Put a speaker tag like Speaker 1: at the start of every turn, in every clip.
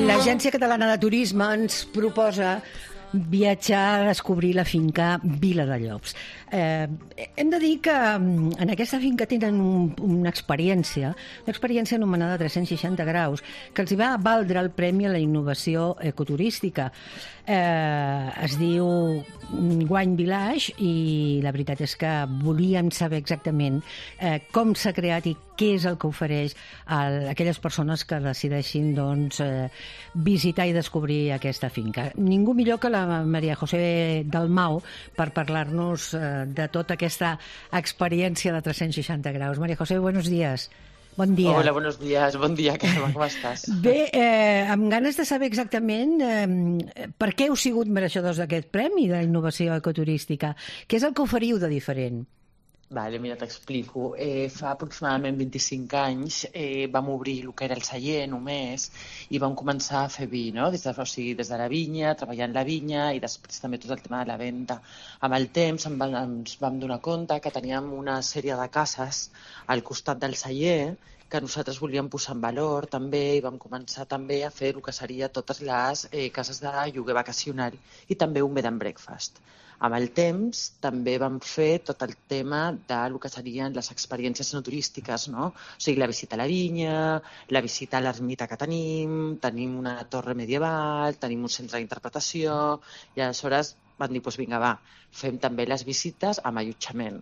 Speaker 1: L'Agència Catalana de Turisme ens proposa viatjar a descobrir la finca Vila de Llops. Hem de dir que en aquesta finca tenen una experiència anomenada 360 graus, que els va valdre el Premi a la Innovació Ecoturística. Es diu Wine Village i la veritat és que volíem saber exactament com s'ha creat i què és el que ofereix a aquelles persones que decideixin visitar i descobrir aquesta finca. Ningú millor que la María José Dalmau per parlar-nos de tota aquesta experiència de 360 graus. María José, buenos días. Bon dia.
Speaker 2: Hola, buenos días. Bon dia, Carme, com estàs?
Speaker 1: Bé, amb ganes de saber exactament per què heu sigut mereixedors d'aquest premi de innovació ecoturística. Què és el que oferiu de diferent?
Speaker 2: Vale, mira, t'explico. Fa aproximadament 25 anys vam obrir el que era el celler només i vam començar a fer vi, no? Des de la vinya, treballant la vinya i després també tot el tema de la venda. Amb el temps ens vam donar compte que teníem una sèrie de cases al costat del celler que nosaltres volíem posar en valor també i vam començar també a fer el que seria totes les cases de lloguer vacacional i també un bed and breakfast. Amb el temps també vam fer tot el tema del que serien les experiències no turístiques, no? O sigui, la visita a la vinya, la visita a l'ermita que tenim una torre medieval, tenim un centre d'interpretació i aleshores vam dir, doncs vinga, va, fem també les visites amb allotjament.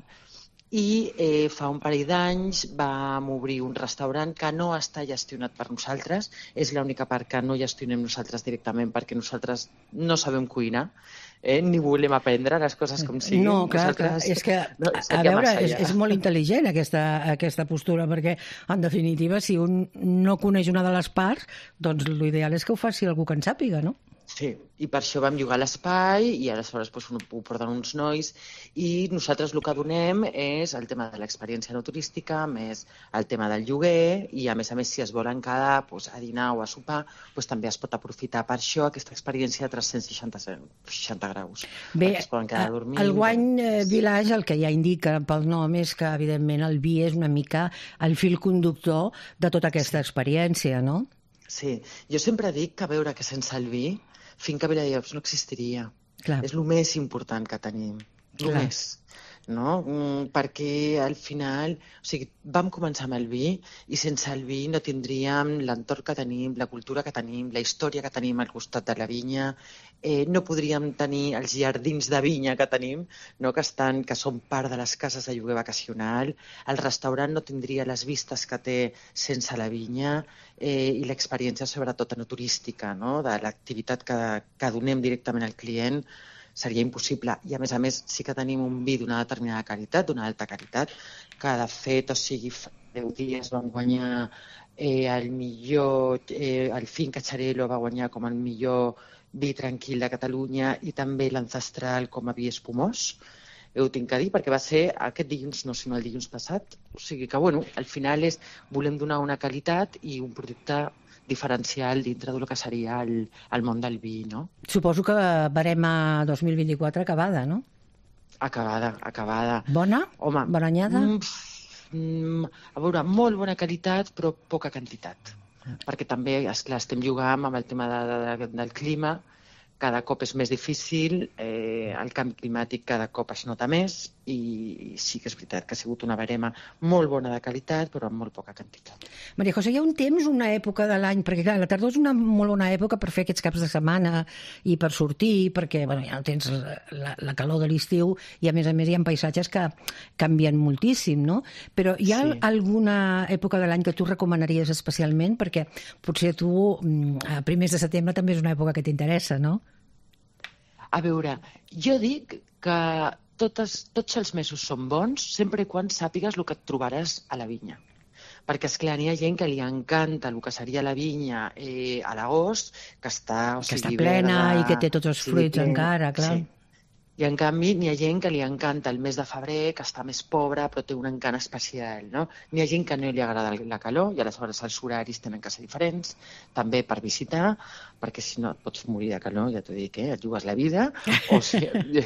Speaker 2: I fa un parell d'anys vam obrir un restaurant que no està gestionat per nosaltres, és l'única part que no gestionem nosaltres directament perquè nosaltres no sabem cuinar, ni volem aprendre les coses com siguin.
Speaker 1: No, clar, és que, a veure, és molt intel·ligent aquesta postura, perquè, en definitiva, si un no coneix una de les parts, doncs l'ideal és que ho faci algú que en sàpiga, no?
Speaker 2: Sí, i per això vam llogar l'espai i aleshores ho porten uns nois i nosaltres el que donem és el tema de l'experiència no turística, més el tema del lloguer i a més, si es volen quedar a dinar o a sopar, també es pot aprofitar per això aquesta experiència de 360 graus.
Speaker 1: Bé,
Speaker 2: es poden quedar a dormir.
Speaker 1: El Wine Village, el que ja indica pel nom és que, evidentment, el vi és una mica el fil conductor de tota aquesta experiència, no?
Speaker 2: Sí, jo sempre dic que a veure que sense el vi Finca Vila de Llops no existiria.
Speaker 1: Clar.
Speaker 2: És el més important que tenim. Només. No? Perquè al final, vam començar amb el vi i sense el vi no tindríem l'entorn que tenim, la cultura que tenim, la història que tenim al costat de la vinya, no podríem tenir els jardins de vinya que tenim, no? que són part de les cases de lloguer vacacional, el restaurant no tindria les vistes que té sense la vinya i l'experiència sobretot no turística, no? De l'activitat que donem directament al client, seria impossible. I, a més, sí que tenim un vi d'una determinada qualitat, d'una alta qualitat, que, de fet, fa 10 dies vam guanyar el Finca Xarel·lo va guanyar com el millor vi tranquil de Catalunya i també l'Ancestral com a vi espumós. Ho tinc que dir perquè va ser aquest dilluns, no, sinó el dilluns passat. O sigui que, al final volem donar una qualitat i un producte diferencial dintre del que seria el món del vi, no?
Speaker 1: Suposo que barema 2024 acabada, no?
Speaker 2: Acabada.
Speaker 1: Bona?
Speaker 2: Home,
Speaker 1: bona anyada?
Speaker 2: A veure, molt bona qualitat, però poca quantitat. Perquè també, esclar, estem jugant amb el tema del clima, cada cop és més difícil, el canvi climàtic cada cop es nota més i sí que és veritat que ha sigut una barema molt bona de qualitat però amb molt poca quantitat.
Speaker 1: Maria José, hi ha un temps, una època de l'any, perquè clar, la tardor és una molt bona època per fer aquests caps de setmana i per sortir, perquè ja no tens la calor de l'estiu i a més hi ha paisatges que canvien moltíssim, no? Però hi ha alguna època de l'any que tu recomanaries especialment? Perquè potser tu a primers de setembre també és una època que t'interessa, no?
Speaker 2: A veure, jo dic que tots els mesos són bons sempre quan sàpigues el que et trobaràs a la vinya. Perquè, esclar, hi ha gent que li encanta el que seria la vinya a l'agost, que està
Speaker 1: plena i que té tots els fruits encara, clar.
Speaker 2: Sí. I, en canvi, n'hi ha gent que li encanta el mes de febrer, que està més pobra, però té un encant especial, no? N'hi ha gent que no li agrada la calor, i aleshores els horaris tenen que ser diferents, també per visitar, perquè si no et pots morir de calor, ja t'ho dic, et jugues la vida, o sigui,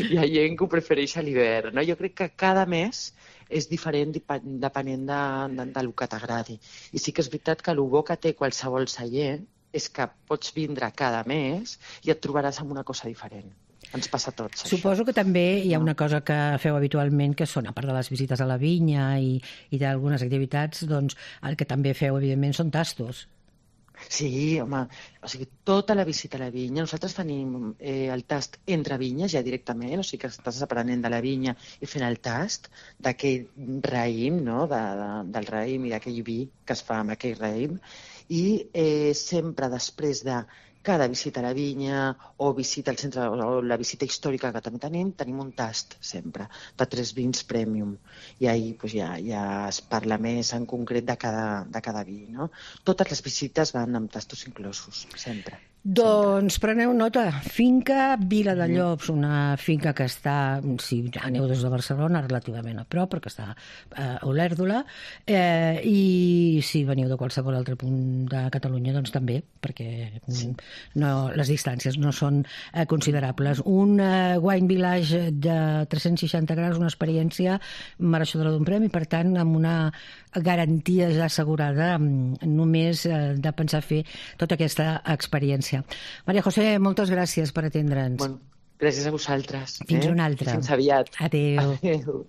Speaker 2: hi ha gent que ho prefereix a l'hivern, no? Jo crec que cada mes és diferent depenent del que t'agradi. I sí que és veritat que el bo que té qualsevol celler és que pots vindre cada mes i et trobaràs amb una cosa diferent. Ens passa a tots, això.
Speaker 1: Suposo que també hi ha una cosa que feu habitualment, que són, a part de les visites a la vinya i d'algunes activitats, doncs el que també feu, evidentment, són tastos.
Speaker 2: Sí, home, o sigui, tota la visita a la vinya. Nosaltres tenim el tast entre vinyes ja directament, o sigui que estàs aprenent de la vinya i fent el tast d'aquell raïm, no? Del raïm i d'aquell vi que es fa amb aquell raïm. I sempre després de cada visita a la vinya o visita al centre o la visita històrica que també tenim un tast sempre de 3 vins premium i ahir doncs, ja es parla més en concret de cada vi, no? Totes les visites van amb tastos inclosos, sempre.
Speaker 1: Doncs preneu nota, finca Vila de Llops, una finca que està, si aneu des de Barcelona, relativament a prop, perquè està a Olèrdola, i si veniu de qualsevol altre punt de Catalunya, doncs també, perquè les distàncies no són considerables. Un wine village de 360 graus, una experiència mereixedora d'un premi, per tant, amb una garantia ja assegurada només de pensar fer tota aquesta experiència. Maria José, moltes gràcies per atendre'ns.
Speaker 2: Bueno, gràcies a vosaltres.
Speaker 1: Fins una altra.
Speaker 2: Fins aviat.
Speaker 1: Adéu.
Speaker 2: Adéu.